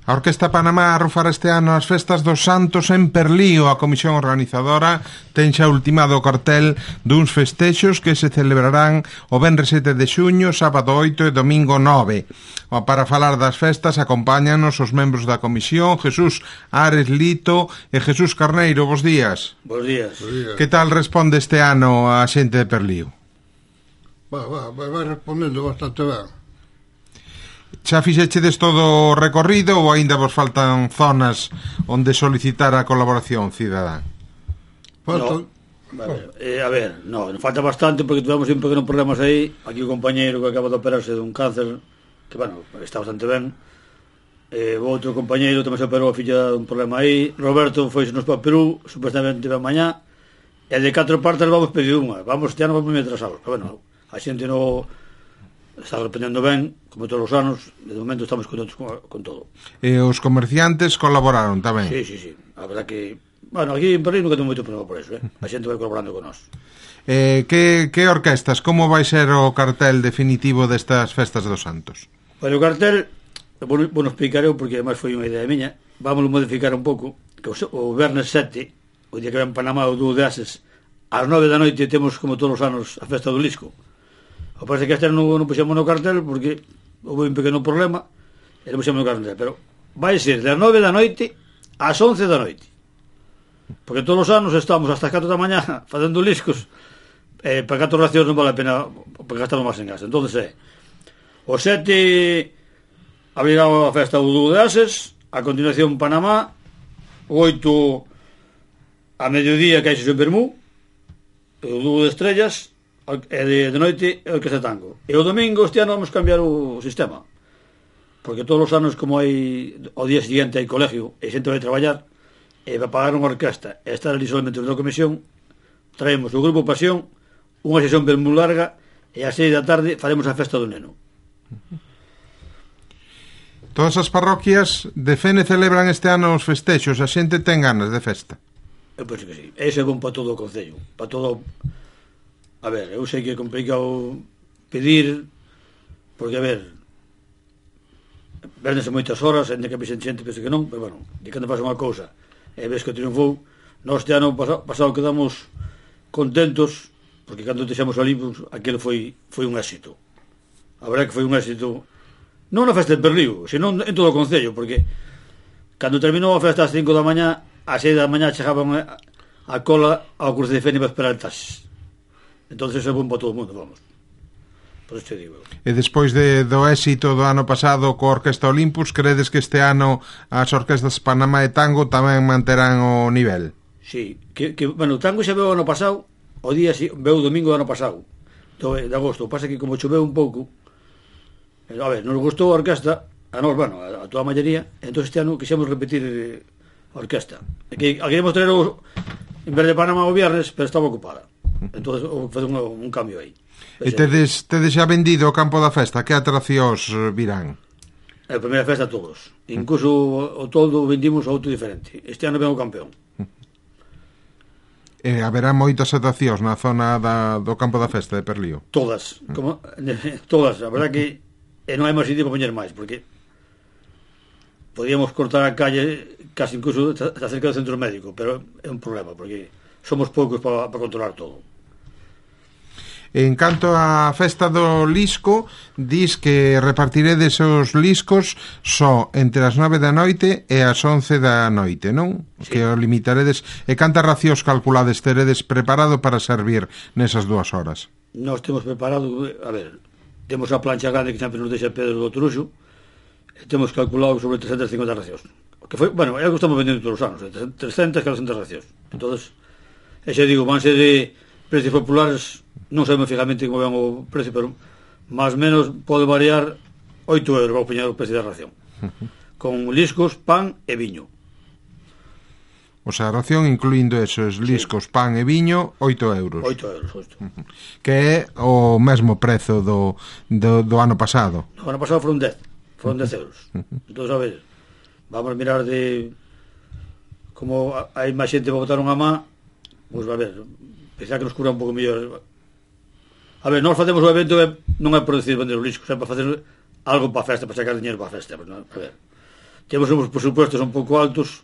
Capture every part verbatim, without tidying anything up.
A Orquesta Panamá arrufará este ano as festas dos Santos en Perlío. A comisión organizadora ten xa ultimado o cartel duns festexos que se celebrarán o venres sete de xuño, sábado oito e domingo nove. Para falar das festas acompáñanos os membros da comisión, Jesús Ares Lito e Jesús Carneiro. Bos días. Bos días. Que tal responde este ano a xente de Perlío? Va, va, vai respondendo bastante ben. Xa fixechedes todo o recorrido ou aínda vos faltan zonas onde solicitar a colaboración cidadá? Faltan... No, a ver, eh, a ver, no, nos falta bastante porque tivemos un pequeno problemas aí. Aquí o compañeiro que acaba de operarse dun cáncer, que, bueno, está bastante ben. Eh, o outro compañeiro tamén se operou a filla dun problema aí. Roberto foisenos para Perú, supuestamente ven mañá. E de catro partes vamos pedir unha. Vamos, este ano vamos moi atrasados. Pero, bueno, a xente no... está respondendo ben, como todos os anos. De momento estamos contentos con, con todo. E os comerciantes colaboraron tamén? Sí, sí, sí. A verdad que... Bueno, aquí en Perlío nunca tengo moito problema por eso, eh? A xente vai colaborando con nós. Eh, que, que orquestas? Como vai ser o cartel definitivo destas festas dos Santos? Bueno, o cartel, bueno, bueno explicaré porque además foi unha idea miña. Vamos a modificar un pouco. Que o, o Vernes sete, o día que ven Panamá o dúo de Ases, ás nove da noite temos, como todos os anos, a festa do Lisco. O parece que este ano non puxemos no cartel porque houve un pequeno problema e non puxemos no cartel, pero vai ser das nove da noite ás once da noite, porque todos os anos estamos hasta as catro da mañá facendo liscos, eh, para catro racións non vale a pena porque gastamos máis en gas. Entonces é o sete abrirá a festa do dúo de Ases, a continuación Panamá, o oito a mediodía que hai xo en Bermú, o dúo de Estrellas, e de, de noite é o que se tango. E o domingo este ano vamos cambiar o sistema, porque todos os anos, como hai o día siguiente hai colegio e xente vai traballar e vai pagar unha orquesta e estar ali solamente na comisión, traemos o grupo Pasión, unha sesión ben moi larga, e ás seis da tarde faremos a festa do neno. Todas as parroquias de Fene celebran este ano os festexos. A xente ten ganas de festa? Eu penso que sí. Ese é bom para todo o concello, para todo. A ver, eu sei que é complicado pedir, porque, a ver, véndese moitas horas, ainda que vexen xente, penso que non, pero, bueno, de cando pasa unha cousa e ves que triunfou, nós este ano pasado, pasado quedamos contentos, porque cando deixamos ali, pues, aquilo foi, foi un éxito. A verdade que foi un éxito, non na festa de Perlío, senón en todo o concello, porque cando terminou a festa ás cinco da mañá, ás seis da mañá chegaban a, a cola ao cruce de Fene para esperar el taxis. Entonces é bom para todo o mundo, vamos. Por isto digo. E despois de, do éxito do ano pasado coa Orquesta Olympus, credes que este ano as orquestas Panamá e Tango tamén manterán o nivel? Sí, que, que bueno, o Tango xa veu o ano pasado, o día veu o domingo do ano pasado, de agosto. Pasa que como choveu un pouco, a ver, nos gustou a orquesta, a nos, bueno, a, a toda a maioría, entón este ano quixemos repetir a orquesta. E que a queremos traer o, en vez de Panamá o viernes, pero estaba ocupada. Entonces faz un, un cambio aí. E tedes, tedes xa vendido o campo da festa? Que atraccións virán? A primeira festa todos. Incluso o, o toldo vendimos a outro diferente. Este ano ven o campeón. E haberá moitas atraccións na zona da, do campo da festa de Perlío? Todas, como, todas. A verdad que e non hai máis sitio para poñer máis, porque podíamos cortar a calle casi incluso está cerca do centro médico, pero é un problema, porque somos poucos para, para controlar todo. En canto á festa do Lisco, dis que repartiredes os liscos só entre as nove da noite e as once da noite, non? Sí. Que o limitaredes. E cantas racións calculades teredes preparado para servir nesas dúas horas? Nós temos preparado, a ver, temos a plancha grande que sempre nos deixa Pedro do Truxo, e temos calculado sobre trescentas e cincuenta racións. Que foi, bueno, é o que estamos vendendo todos os anos, trescentas, catorcentas racións. Entonces, e xa digo, vanse de precios populares, non sabemos fijamente como ven o precio, pero máis ou menos pode variar oito euros para poñer o precio da ración, con liscos, pan e viño. O sea, a ración incluindo esos liscos, sí, pan e viño, oito euros. oito euros, oito. Que é o mesmo prezo do, do, do ano pasado. O ano pasado foron dez, foron dez euros. Entón, a ver, vamos a mirar de como hai máis xente para botar unha má, pois, a ver, pensar que nos cura un pouco mellor. A ver, nós facemos o evento non é por decir vender o lisco, é para facer algo para a festa, para sacar dinheiro para a festa, pero non, a ver, temos uns presupuestos un pouco altos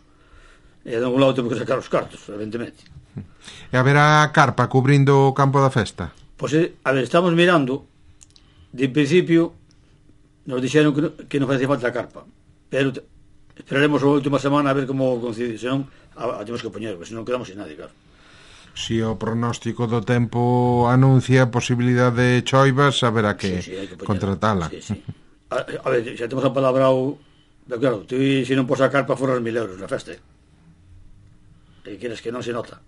e de algún lado temos que sacar os cartos, evidentemente. E haberá carpa cubrindo o campo da festa? Pois, a ver, estamos mirando, de principio nos dixeron que, no, que non facía falta a carpa, pero te, esperaremos a última semana a ver como coincide, senón a, a temos que poñer, porque senón quedamos sin nadie, claro. Si o pronóstico do tempo anuncia a posibilidade de choivas, haberá que, sí, sí, que contratala. Sí, sí. A, a ver, xa temos a palabra o... Pero claro, tú se non pos a carpa forras mil euros na festa. E queres que non se nota.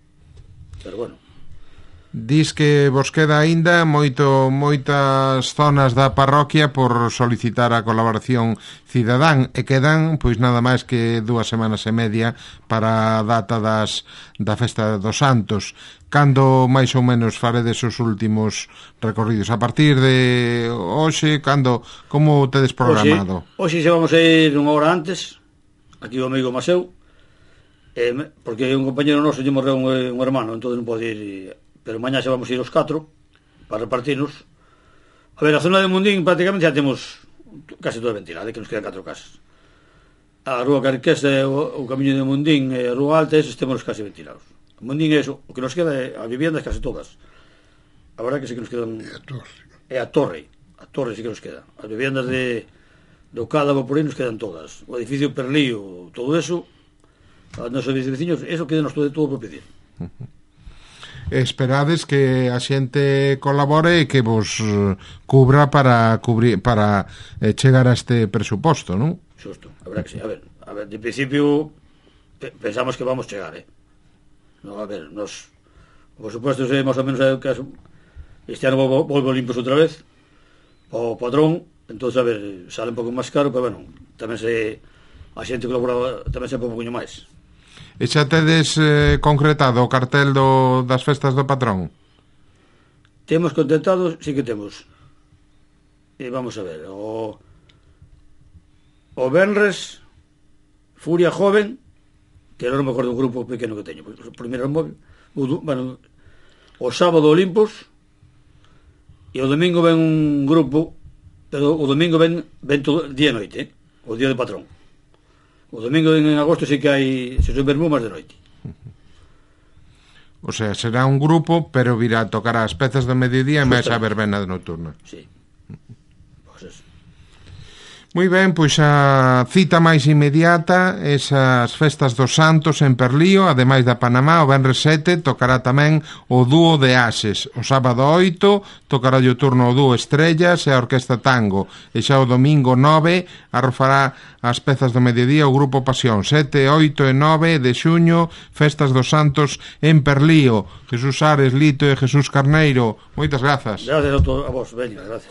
Pero bueno. Dis que vos queda aínda moito moitas zonas da parroquia por solicitar a colaboración cidadán e quedan pois nada máis que dúas semanas e media para a data das da festa dos Santos. Cando máis ou menos faredes os últimos recorridos? A partir de hoxe, cando como tedes programado? Hoxe, hoxe xa vamos a ir unha hora antes, aquí o amigo Maseu, eh, porque un compañero noso lle morreu un, un hermano, entón non pode ir... Pero mañá xa vamos a ir os catro para repartirnos. A ver, a zona de Mundín prácticamente xa temos casi toda ventilada, que nos quedan catro casas. A Rúa Carquesa, o, o camiño de Mundín e a Rúa Alta, esos temos casi ventilados. Mundín é eso, o que nos queda é as viviendas casi todas. A verdad que sí que nos quedan... E a torre. É a torre. A torre sí que nos queda. As viviendas de do Cádavo por aí nos quedan todas. O edificio Perlío, todo eso, os nosos veciños, eso queda nos todo, todo por pedir. Esperades que a xente colabore e que vos cubra para cubrir para eh, chegar a este presuposto, non? Xusto, a verdad que sí. A ver, a ver, de principio pe pensamos que vamos chegar, eh. No, a ver, nos por suposto é máis ou menos que este ano volvo, volvo limpos outra vez o padrón, entonces a ver, sale un pouco máis caro, pero bueno, tamén se a xente colabora tamén sempre un pouquinho máis. E xa tedes eh, concretado o cartel do, das festas do patrón? Temos contentado, sí que temos. E vamos a ver, o o Benres Furia Joven, que non me acordo do grupo pequeno que teño, o primeiro móvil, o, bueno, o sábado Olimpos, e o domingo ven un grupo, pero o domingo ven, ven todo día e noite, eh? O día de patrón. O domingo en agosto sí que hai se son vermumas de noite. O sea, será un grupo, pero virá a tocar as pezas do mediodía e máis a verbena nocturna. Sí. Pois eso. Moi ben, pois a cita máis inmediata, esas festas dos Santos en Perlío, ademais da Panamá, o venres sete tocará tamén o dúo de Ases. O sábado oito tocará o turno o dúo Estrellas e a Orquesta Tango. E xa o domingo nove arrofará as pezas do mediodía o Grupo Pasión. sete, oito e nove de xuño, festas dos Santos en Perlío. Jesús Ares, Lito e Jesús Carneiro, moitas grazas. Gracias a, to a vos, veña, gracias.